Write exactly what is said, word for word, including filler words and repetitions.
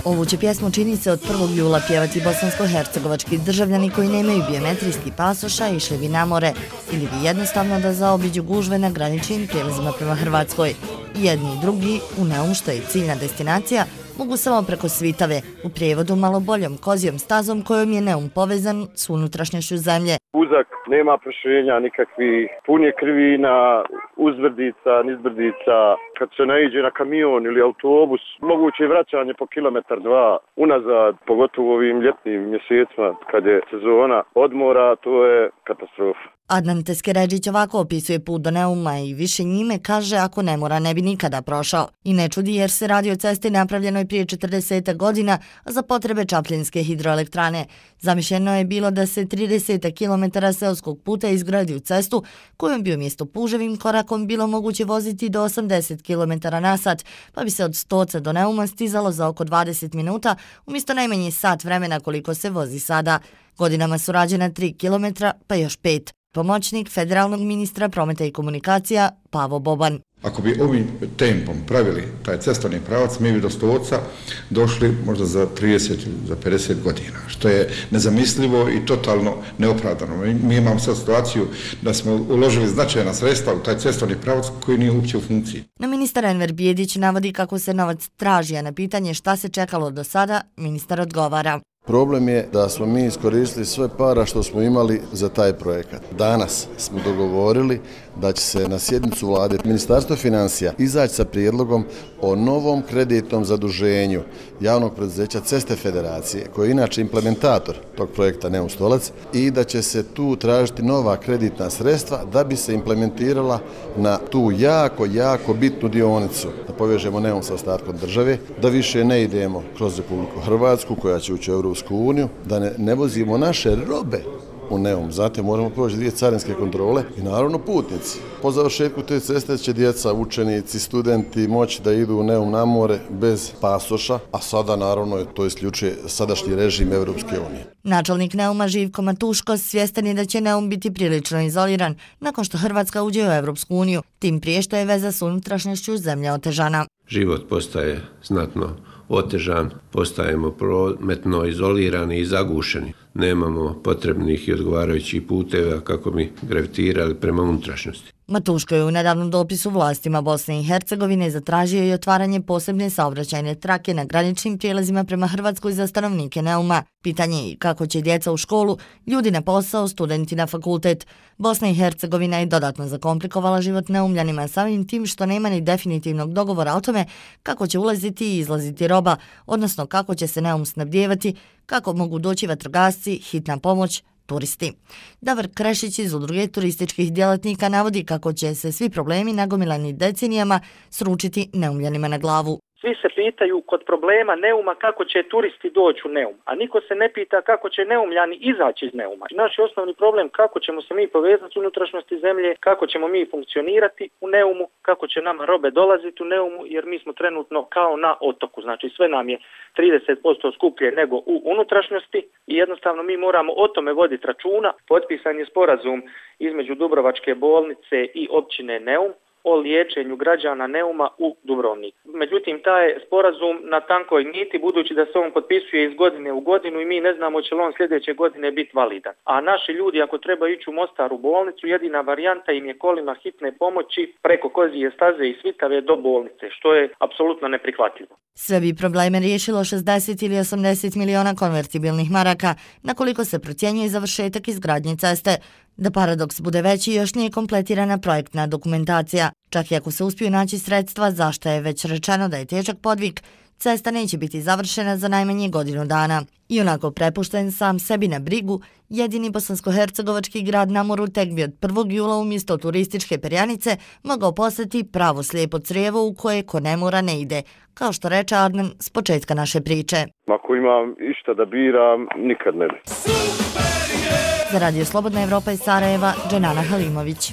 Ovu će pjesmu čini se od prvog jula pjevati bosansko-hercegovački državljani koji nemaju biometrijski pasoša, išli bi na more ili bi jednostavno da zaobiđu gužve na graničnim prijelazima prema Hrvatskoj. Jedni i drugi, u Neum što je ciljna destinacija, mogu samo preko Svitave, u prijevodu malo boljom kozijom stazom kojom je Neum povezan s unutrašnjošću zemlje. Uzak, nema proširenja nikakvih, pun je krivina, uzbrdica, nizbrdica. Kad se naiđe na kamion ili autobus, moguće je vraćanje po kilometar dva unazad, pogotovo u ovim ljetnim mjesecima kad je sezona odmora, to je katastrofa. Adnan Teskeredžić ovako opisuje put do Neuma i više njime kaže ako ne mora ne bi nikada prošao. I ne čudi jer se radi o cesti napravljenoj prije četrdeset godina za potrebe Čapljinske hidroelektrane. Zamišljeno je bilo da se trideset kilometara seoskog puta izgradi u cestu kojom bi umjesto puževim korakom bilo moguće voziti do osamdeset kilometara na sat, pa bi se od Stoca do Neuma stizalo za oko dvadeset minuta umjesto najmanje sat vremena koliko se vozi sada. Godinama su rađena tri kilometra pa još pet. Pomoćnik federalnog ministra prometa i komunikacija Pavo Boban. Ako bi ovim tempom pravili taj cestovni pravac, mi bi do Stoca došli možda za trideset ili za pedeset godina, što je nezamislivo i totalno neopravdano. Mi imamo sad situaciju da smo uložili značajna sredstva u taj cestovni pravac koji nije uopće u funkciji. No ministar Enver Bijedić navodi kako se novac traži, a na pitanje šta se čekalo do sada, ministar odgovara. Problem je da smo mi iskoristili sve para što smo imali za taj projekat. Danas smo dogovorili da će se na sjednicu vlade Ministarstvo financija izaći sa prijedlogom o novom kreditnom zaduženju javnog preduzeća Ceste Federacije, koji je inače implementator tog projekta Neum Stolac, i da će se tu tražiti nova kreditna sredstva da bi se implementirala na tu jako, jako bitnu dionicu, da povežemo Neum sa ostatkom države, da više ne idemo kroz Republiku Hrvatsku koja će ući u Europsku uniju, da ne, ne vozimo naše robe u Neum. Zatim moramo proći dvije carinske kontrole i naravno putnici. Po završetku te ceste će djeca, učenici, studenti moći da idu u Neum na more bez pasoša, a sada naravno to isključuje sadašnji režim Europske unije. Načelnik Neuma Živko Matuško svjestan je da će Neum biti prilično izoliran nakon što Hrvatska uđe u Europsku uniju, tim prije što je veza s unutrašnjošću zemlje otežana. Život postaje znatno otežan, postajemo prometno izolirani i zagušeni. Nemamo potrebnih i odgovarajućih puteva kako bi gravitirali prema unutrašnjosti. Matuško je u nedavnom dopisu vlastima Bosne i Hercegovine zatražio i otvaranje posebne saobraćajne trake na graničnim prijelazima prema Hrvatskoj za stanovnike Neuma. Pitanje je kako će djeca u školu, ljudi na posao, studenti na fakultet. Bosna i Hercegovina je dodatno zakomplikovala život Neumljanima samim tim što nema ni definitivnog dogovora o tome kako će ulaziti i izlaziti roba, odnosno kako će se Neum snabdijevati, kako mogu doći vatrogasci, hitna pomoć, turisti. Davor Krešić iz Udruge turističkih djelatnika navodi kako će se svi problemi nagomilani decenijama sručiti Neumljanima na glavu. Svi se pitaju kod problema Neuma kako će turisti doći u Neum, a niko se ne pita kako će Neumljani izaći iz Neuma. Naš je osnovni problem kako ćemo se mi povezati s unutrašnjosti zemlje, kako ćemo mi funkcionirati u Neumu, kako će nama robe dolaziti u Neumu, jer mi smo trenutno kao na otoku, znači sve nam je trideset posto skuplje nego u unutrašnjosti i jednostavno mi moramo o tome voditi računa. Potpisan je sporazum između Dubrovačke bolnice i općine Neum o liječenju građana Neuma u Dubrovnik. Međutim, taj sporazum na tankoj niti, budući da se on potpisuje iz godine u godinu i mi ne znamo će li on sljedeće godine biti validan. A naši ljudi ako trebaju ići u Mostar u bolnicu, jedina varijanta im je kolima hitne pomoći preko Kozije staze i Svitave do bolnice, što je apsolutno neprihvatljivo. Sve bi probleme riješilo šezdeset ili osamdeset miliona konvertibilnih maraka, na koliko se procjenjuje završetak izgradnje ceste. Da paradoks bude veći, još nije kompletirana projektna dokumentacija. Čak i ako se uspiju naći sredstva, zašto je već rečeno da je težak podvig, cesta neće biti završena za najmanje godinu dana. I onako prepušten sam sebi na brigu, jedini bosansko-hercegovački grad na moru tek bi od prvog jula umjesto turističke perjanice mogao postati pravo slijepo crijevo u koje ko ne mora ne ide, kao što reče Adnan s početka naše priče. Ako imam išta da biram, nikad ne bi. Za Radio Slobodna Evropa iz Sarajeva, Dženana Halimović.